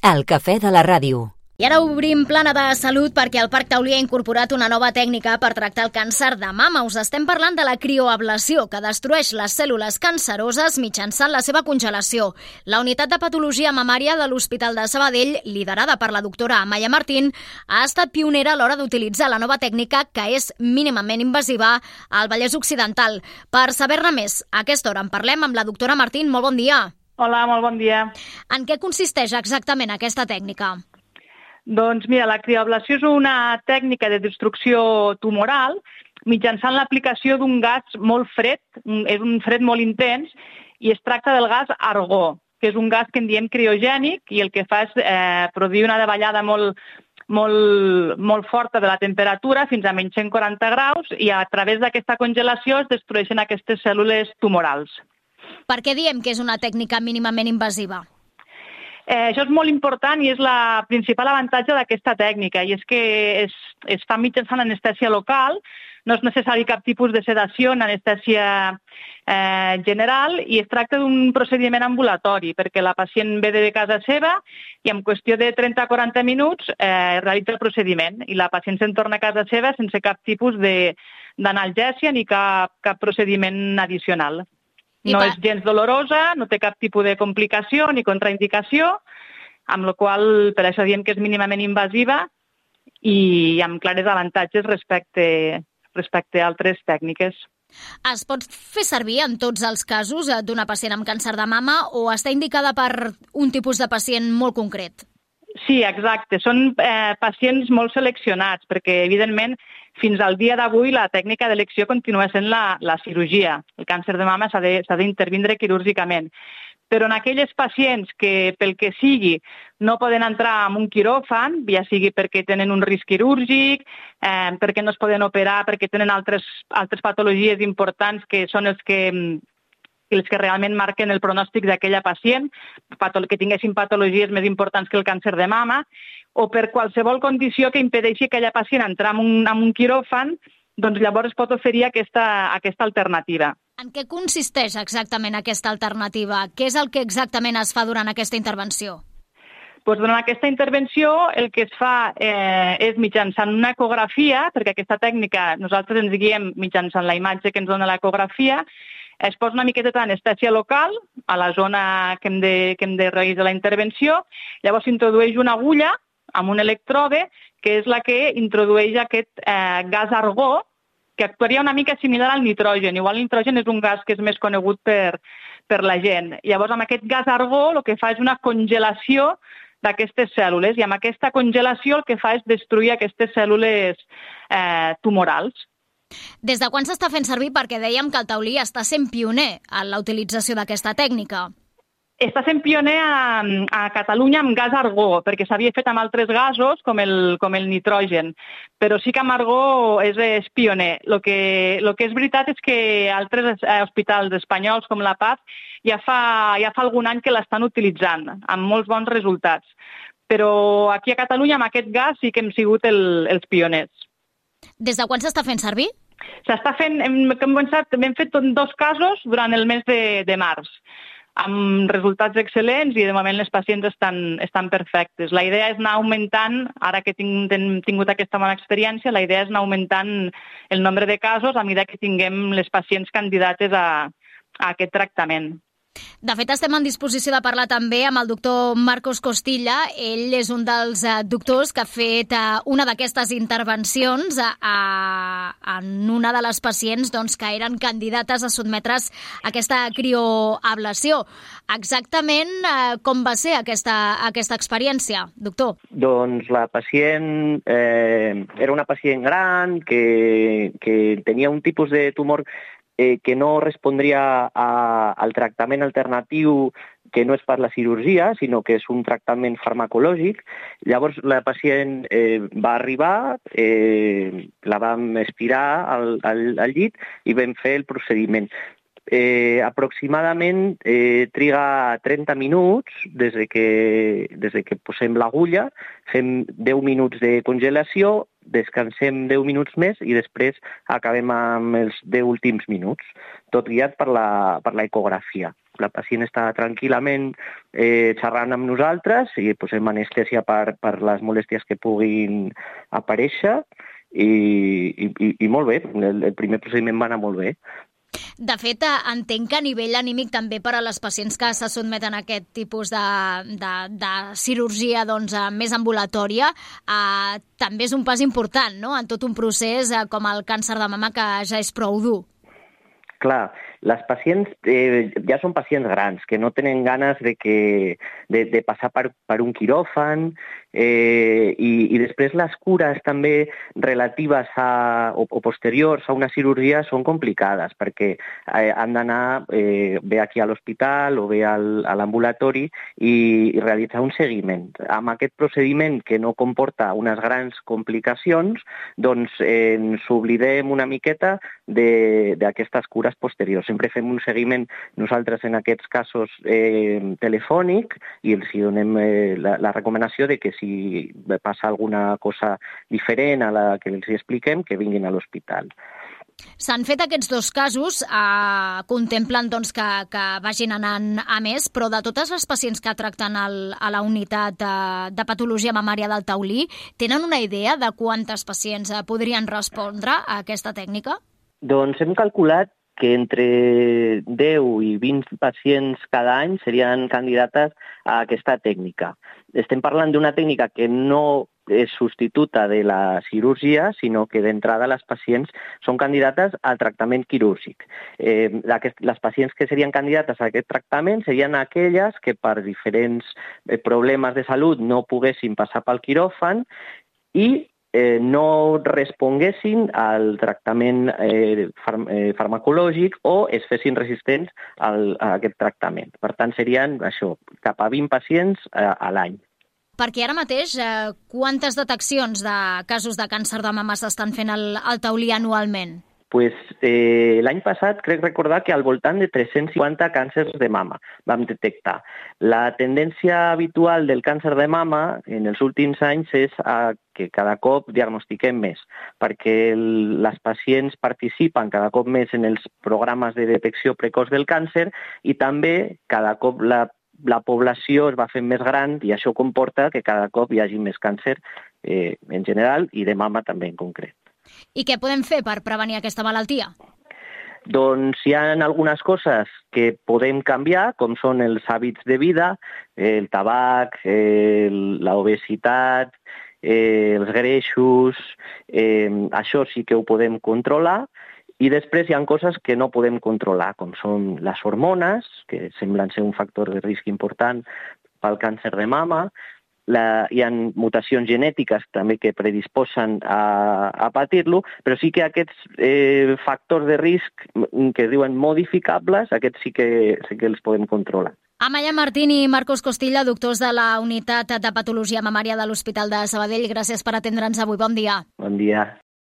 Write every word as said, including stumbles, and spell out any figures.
El cafè de la ràdio. I ara obrim plana de salut perquè el Parc Taulí ha incorporat una nova tècnica per tractar el càncer de mama. Us estem parlant de la crioablació, que destrueix les cèl·lules canceroses mitjançant la seva congelació. La unitat de patologia mamària de l'Hospital de Sabadell, liderada per la doctora Amaia Martín, ha estat pionera a l'hora d'utilitzar la nova tècnica, que és mínimament invasiva, al Vallès Occidental. Per saber-ne més, a aquesta hora en parlem amb la doctora Martín. Molt bon dia. Hola, molt bon dia. En què consisteix exactament aquesta tècnica? Doncs mira, la crioablació és una tècnica de destrucció tumoral mitjançant l'aplicació d'un gas molt fred, és un fred molt intens, i es tracta del gas argó, que és un gas que en diem criogènic i el que fa és eh, produir una davallada molt, molt, molt forta de la temperatura fins a menys cent quaranta graus i a través d'aquesta congelació es destrueixen aquestes cèl·lules tumorals. Per què diem que és una tècnica mínimament invasiva? Eh, això és molt important i és la principal avantatge d'aquesta tècnica, i és que es, es fa mitjançant anestèsia local, no és necessari cap tipus de sedació en anestèsia eh, general, i es tracta d'un procediment ambulatori, perquè la pacient ve de casa seva i en qüestió de trenta a quaranta minuts eh, realitza el procediment i la pacient se'n torna a casa seva sense cap tipus de, d'analgèsia ni cap, cap procediment addicional. No és gens dolorosa, no té cap tipus de complicació ni contraindicació, amb la qual per això diem que és mínimament invasiva i amb clares avantatges respecte, respecte a altres tècniques. Es pot fer servir en tots els casos d'una pacient amb càncer de mama o està indicada per un tipus de pacient molt concret? Sí, exacte. Són eh, pacients molt seleccionats perquè, evidentment, fins al dia d'avui la tècnica d'elecció continua sent la, la cirurgia. El càncer de mama s'ha de, s'ha d'intervindre quirúrgicament. Però en aquelles pacients que, pel que sigui, no poden entrar en un quiròfan, ja sigui perquè tenen un risc quirúrgic, eh, perquè no es poden operar, perquè tenen altres, altres patologies importants que són els que... els que realment marquen el pronòstic d'aquella pacient, que tinguessin patologies més importants que el càncer de mama, o per qualsevol condició que impedeixi que aquella pacient entrar en un, en un quiròfan, doncs llavors es pot oferir aquesta, aquesta alternativa. En què consisteix exactament aquesta alternativa? Què és el que exactament es fa durant aquesta intervenció? Doncs durant aquesta intervenció el que es fa eh, és mitjançant una ecografia, perquè aquesta tècnica nosaltres ens guiem mitjançant la imatge que ens dona l'ecografia, es posa una miqueta d'anestèsia local a la zona que hem de, que hem de realitzar la intervenció, llavors s'introdueix una agulla amb un electrode, que és la que introdueix aquest eh, gas argó, que actuaria una mica similar al nitrogen. Igual el nitrogen és un gas que és més conegut per, per la gent. Llavors, amb aquest gas argó el que fa és una congelació d'aquestes cèl·lules, i amb aquesta congelació el que fa és destruir aquestes cèl·lules eh, tumorals. Des de quan s'està fent servir? Perquè dèiem que el Taulí està sent pioner en la utilització d'aquesta tècnica. Està sent pioner a, a Catalunya amb gas argó, perquè s'havia fet amb altres gasos, com el, com el nitrogen, però sí que amb argó és, és pioner. El que, el que és veritat és que altres hospitals espanyols, com la Paz, ja fa, ja fa algun any que l'estan utilitzant, amb molts bons resultats. Però aquí a Catalunya, amb aquest gas, sí que hem sigut el, els pioners. Des de quan s'està fent servir? S'està fent, hem, hem, començat, hem fet dos casos durant el mes de, de març, amb resultats excel·lents i de moment les pacients estan, estan perfectes. La idea és anar augmentant, ara que tinc, hem tingut aquesta bona experiència, la idea és anar augmentant el nombre de casos a mesura que tinguem les pacients candidates a, a aquest tractament. De fet, estem en disposició de parlar també amb el doctor Marcos Costilla. Ell és un dels eh, doctors que ha fet eh, una d'aquestes intervencions a, a, en una de les pacients doncs, que eren candidates a sotmetre's a aquesta crioablació. Exactament eh, com va ser aquesta, aquesta experiència, doctor? Doncs la pacient eh, era una pacient gran que, que tenia un tipus de tumor Eh, que no respondria a, al tractament alternatiu que no és per la cirurgia, sinó que és un tractament farmacològic. Llavors la pacient eh, va arribar, eh, la vam espirar al, al, al llit i vam fer el procediment. Eh, aproximadament eh, triga trenta minuts des de que, des de que posem l'agulla, fem deu minuts de congelació, descansem deu minuts més i després acabem amb els deu últims minuts, tot guiat per la, per la ecografia. la pacient està tranquil·lament eh, xerrant amb nosaltres i posem anestèsia per, per les molèsties que puguin aparèixer i, i, i molt bé, el, el primer procediment va anar molt bé. De fet, entenc que a nivell anímic també per a les pacients que se sotmeten a aquest tipus de, de, de cirurgia doncs, més ambulatòria, eh, també és un pas important, no?, en tot un procés eh, com el càncer de mama, que ja és prou dur. Clar, les pacients eh, ja són pacients grans, que no tenen ganes de, que, de, de passar per, per un quiròfan eh, i, i després les cures també relatives a, o, o posteriors a una cirurgia són complicades perquè eh, han d'anar eh, bé aquí a l'hospital o bé al, a l'ambulatori i, i realitzar un seguiment. Amb aquest procediment que no comporta unes grans complicacions, doncs eh, ens oblidem una miqueta d'aquestes cures posteriors. Sempre fem un seguiment nosaltres en aquests casos eh, telefònic i els donem eh, la, la recomanació de que si passa alguna cosa diferent a la que els expliquem, que vinguin a l'hospital. S'han fet aquests dos casos, eh, contemplen doncs, que, que vagin anant a més, però de totes les pacients que tracten el, a la unitat de, de patologia mamària del Taulí, tenen una idea de quantes pacients podrien respondre a aquesta tècnica? Doncs hem calculat que entre deu i vint pacients cada any serien candidates a aquesta tècnica. Estem parlant d'una tècnica que no és substituta de la cirurgia, sinó que d'entrada les pacients són candidates al tractament quirúrgic. Eh, les pacients que serien candidates a aquest tractament serien aquelles que per diferents problemes de salut no poguessin passar pel quiròfan i Eh, no responguessin al tractament eh, farm eh, farmacològic o es fessin resistents al, a aquest tractament. Per tant, serien això, cap a vint pacients eh, a l'any. Perquè ara mateix, eh, quantes deteccions de casos de càncer de mama s'estan fent al, al Taulí anualment? Pues, eh, l'any passat crec recordar que al voltant de tres-cents cinquanta càncers de mama vam detectar. La tendència habitual del càncer de mama en els últims anys és a que cada cop diagnostiquem més, perquè el, les pacients participen cada cop més en els programes de detecció precoç del càncer i també cada cop la, la població es va fent més gran i això comporta que cada cop hi hagi més càncer eh, en general i de mama també en concret. I què podem fer per prevenir aquesta malaltia? Doncs hi ha algunes coses que podem canviar, com són els hàbits de vida, el tabac, el, la obesitat, eh, els greixos, eh, això sí que ho podem controlar, i després hi ha coses que no podem controlar, com són les hormones, que semblen ser un factor de risc important pel càncer de mama. La, hi ha mutacions genètiques també que predisposen a, a patir-lo, però sí que aquests eh, factors de risc que es diuen modificables, aquests sí que, sí que els podem controlar. Amaya Martín i Marcos Costilla, doctors de la Unitat de Patologia Mamària de l'Hospital de Sabadell, gràcies per atendre'ns avui. Bon dia. Bon dia.